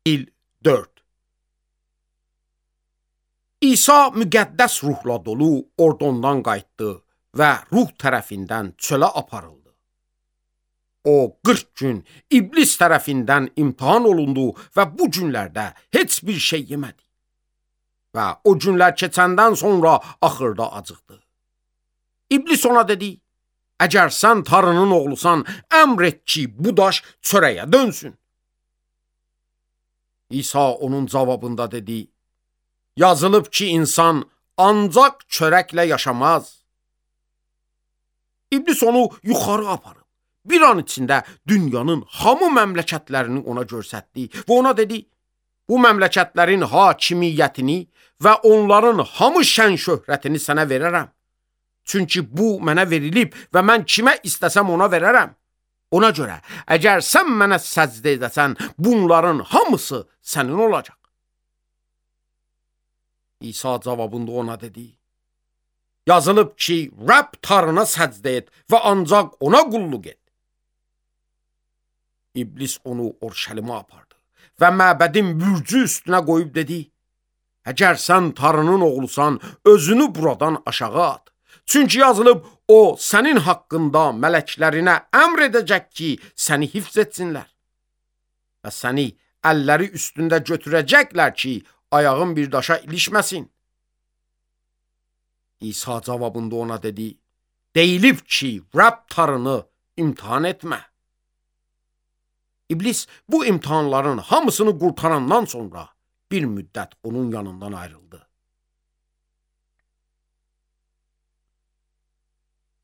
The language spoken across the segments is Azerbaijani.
Fil 4. İsa müqəddəs ruhla dolu ordondan qayıtdı və ruh tərəfindən çölə aparıldı. O 40 gün iblis tərəfindən imtahan olundu və bu günlərdə heç bir şey yemədi. Və o günlər keçəndən sonra axırda acıqdı. İblis ona dedi, əgər sən Tanrının oğlusan, əmr et ki, bu daş çörəyə dönsün. İsa onun cavabında dedi, yazılıb ki, insan ancaq çörəklə yaşamaz. İblis onu yuxarı aparıb, bir an içində dünyanın hamı məmləkətlərini ona göstərdi və ona dedi, bu məmləkətlərin hakimiyyətini və onların hamı şən şöhrətini sənə verərəm. Çünki bu mənə verilib və mən kimə istəsəm ona verərəm. Ona görə, əgər sən mənə səcdə edəsən, bunların hamısı sənin olacaq. İsa cavabında ona dedi, yazılıb ki, Rəbb Tanrına səcdə et və ancaq ona qulluq et. İblis onu Orşəlimə apardı və məbədin bürcü üstünə qoyub dedi, əgər sən Tanrının oğlusan, özünü buradan aşağı at. Çünki yazılıb, o sənin haqqında mələklərinə əmr edəcək ki, səni hifz etsinlər. Və səni əlləri üstündə götürəcəklər ki, ayağın bir daşa ilişməsin. İsa cavabında ona dedi, deyilib ki, Rəbb Tanrını imtihan etmə. İblis bu imtihanların hamısını qurtarandan sonra bir müddət onun yanından ayrıldı.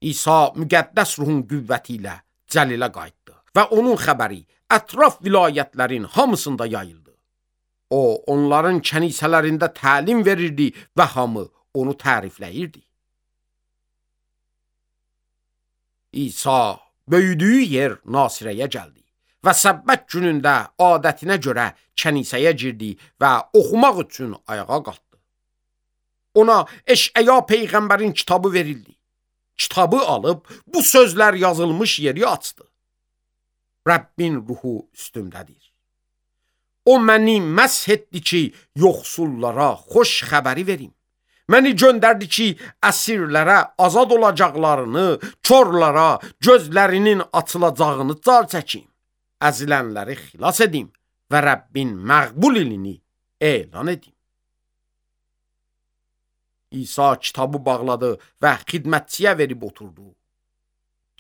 İsa müqəddəs ruhun qüvvəti ilə Cəlilə qayıtdı və onun xəbəri ətraf vilayətlərin hamısında yayıldı. O, onların kənisələrində təlim verirdi və hamı onu tərifləyirdi. İsa böyüdüyü yer Nasirəyə gəldi və Səbbət günündə adətinə görə kənisəyə girdi və oxumaq üçün ayağa qalxdı. Ona Eşəya peyğəmbərin kitabı verildi. Kitabı alıb bu sözlər yazılmış yeri açdı. Rəbbin ruhu üstümdədir. O məni məsh etdi ki, yoxsullara xoş xəbəri verim. Məni göndərdi ki, əsirlərə azad olacaqlarını, körlara gözlərinin açılacağını car çəkim. Əzilənləri xilas edim və Rəbbin məqbul ilini elan edim. İsa kitabı bağladı və xidmətçiyə verib oturdu.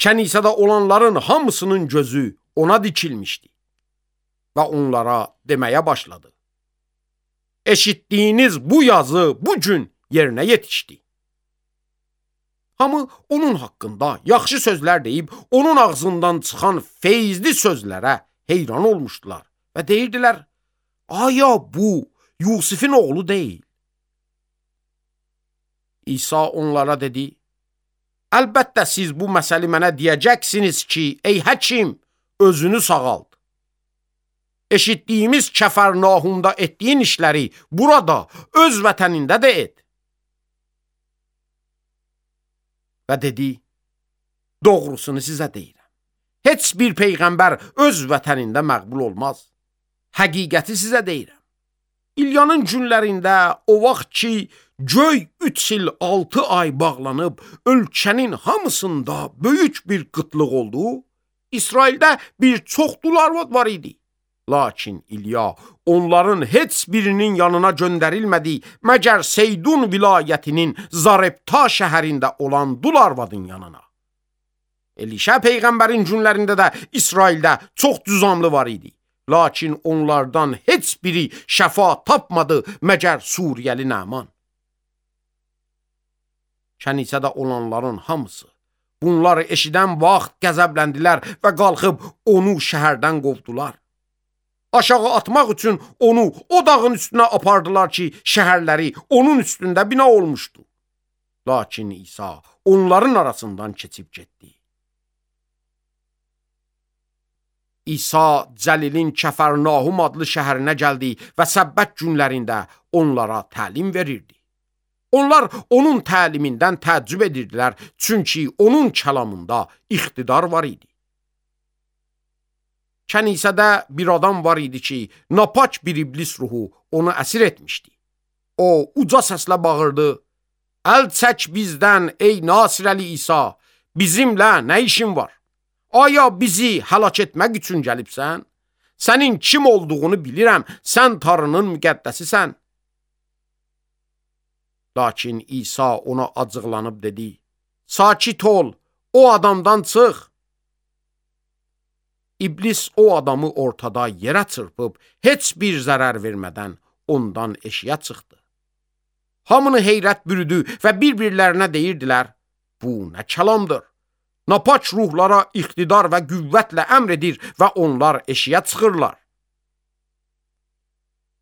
Kənisədə olanların hamısının gözü ona dikilmişdi və onlara deməyə başladı. Eşitdiyiniz bu yazı bu gün yerinə yetişdi. Hamı onun haqqında yaxşı sözlər deyib, onun ağzından çıxan feyizli sözlərə heyran olmuşdular və deyirdilər, aya bu Yusifin oğlu deyil. İsa onlara dedi, əlbəttə siz bu məsəli mənə deyəcəksiniz ki, ey həkim, özünü sağalt. Eşitdiyimiz Kəfərnahumda etdiyin işləri burada, öz vətənində də et. Və dedi, doğrusunu sizə deyirəm. Heç bir peyğəmbər öz vətənində məqbul olmaz. Həqiqəti sizə deyirəm. İlyanın günlərində o vaxt ki, göy 3 il 6 ay bağlanıb, ölkənin hamısında böyük bir qıtlıq oldu, İsraildə bir çox dularvad var idi. Lakin İlya onların heç birinin yanına göndərilmədi, məgər Seydun vilayətinin Zarepta şəhərində olan dularvadın yanına. Elişə peyğəmbərin günlərində də İsraildə çox cüzamlı var idi. Lakin onlardan heç biri şəfa tapmadı, məgər Suriyəli Nəman. Kənisədə olanların hamısı bunları eşidən vaxt qəzəbləndilər və qalxıb onu şəhərdən qovdular. Aşağı atmaq üçün onu o dağın üstünə apardılar ki, şəhərləri onun üstündə bina olmuşdu. Lakin İsa onların arasından keçib getdi. İsa Cəlilin Kəfərnahum adlı şəhərinə gəldi və Səbbət günlərində onlara təlim verirdi. Onlar onun təlimindən təəccüb edirdilər, çünki onun kəlamında iqtidar var idi. Kənisədə bir adam var idi ki, napaç bir iblis ruhu onu əsir etmişdi. O, uca səslə bağırdı, əl çək bizdən ey Nasirəli İsa, bizimlə nə işin var? Aya bizi həlak etmək üçün gəlibsən? Sənin kim olduğunu bilirəm, sən Tanrının müqəddəsisən. Lakin İsa ona acıqlanıb dedi, sakit ol, o adamdan çıx. İblis o adamı ortada yerə çırpıb, heç bir zərər vermədən ondan eşiyə çıxdı. Hamını heyrət bürüdü və bir-birlərinə deyirdilər, bu nə kəlamdır? Napaç ruhlara iqtidar və qüvvətlə əmr edir və onlar eşiyə çıxırlar.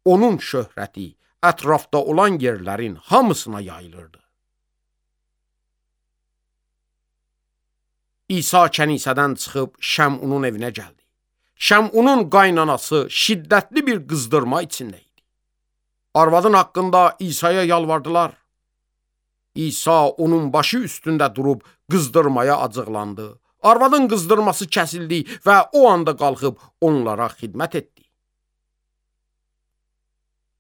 Onun şöhrəti ətrafda olan yerlərin hamısına yayılırdı. İsa kənisədən çıxıb Şəmunun evinə gəldi. Şəmunun qaynanası şiddətli bir qızdırma içində idi. Arvadın haqqında İsa'ya yalvardılar. İsa onun başı üstündə durub qızdırmaya acıqlandı. Arvadın qızdırması kəsildi və o anda qalxıb onlara xidmət etdi.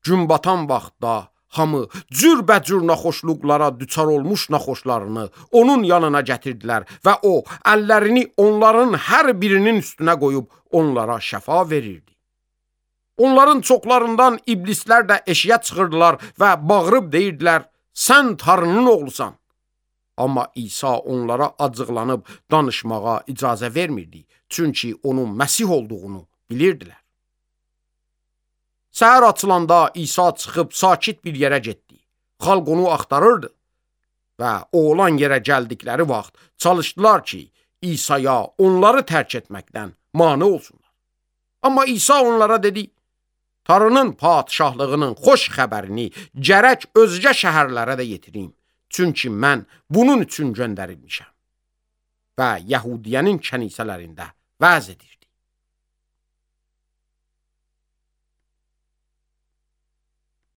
Gün batan vaxtda hamı cürbəcür naxoşluqlara düçar olmuş naxoşlarını onun yanına gətirdilər və o, əllərini onların hər birinin üstünə qoyub onlara şəfa verirdi. Onların çoxlarından iblislər də eşiyə çıxırdılar və bağırıb deyirdilər, sən Tanrının oğlusan. Amma İsa onlara acıqlanıb danışmağa icazə vermirdi, çünki onun Məsih olduğunu bilirdilər. Səhər açılanda İsa çıxıb sakit bir yerə getdi. Xalq onu axtarırdı və o olan yerə gəldikləri vaxt çalışdılar ki, İsa'ya onları tərk etməkdən mane olsunlar. Amma İsa onlara dedi, Tanrının padişahlığının xoş xəbərini gərək özgə şəhərlərə də yetirim, çünki mən bunun üçün göndərilmişəm və Yəhudiyənin kənisələrində vəz edirdi.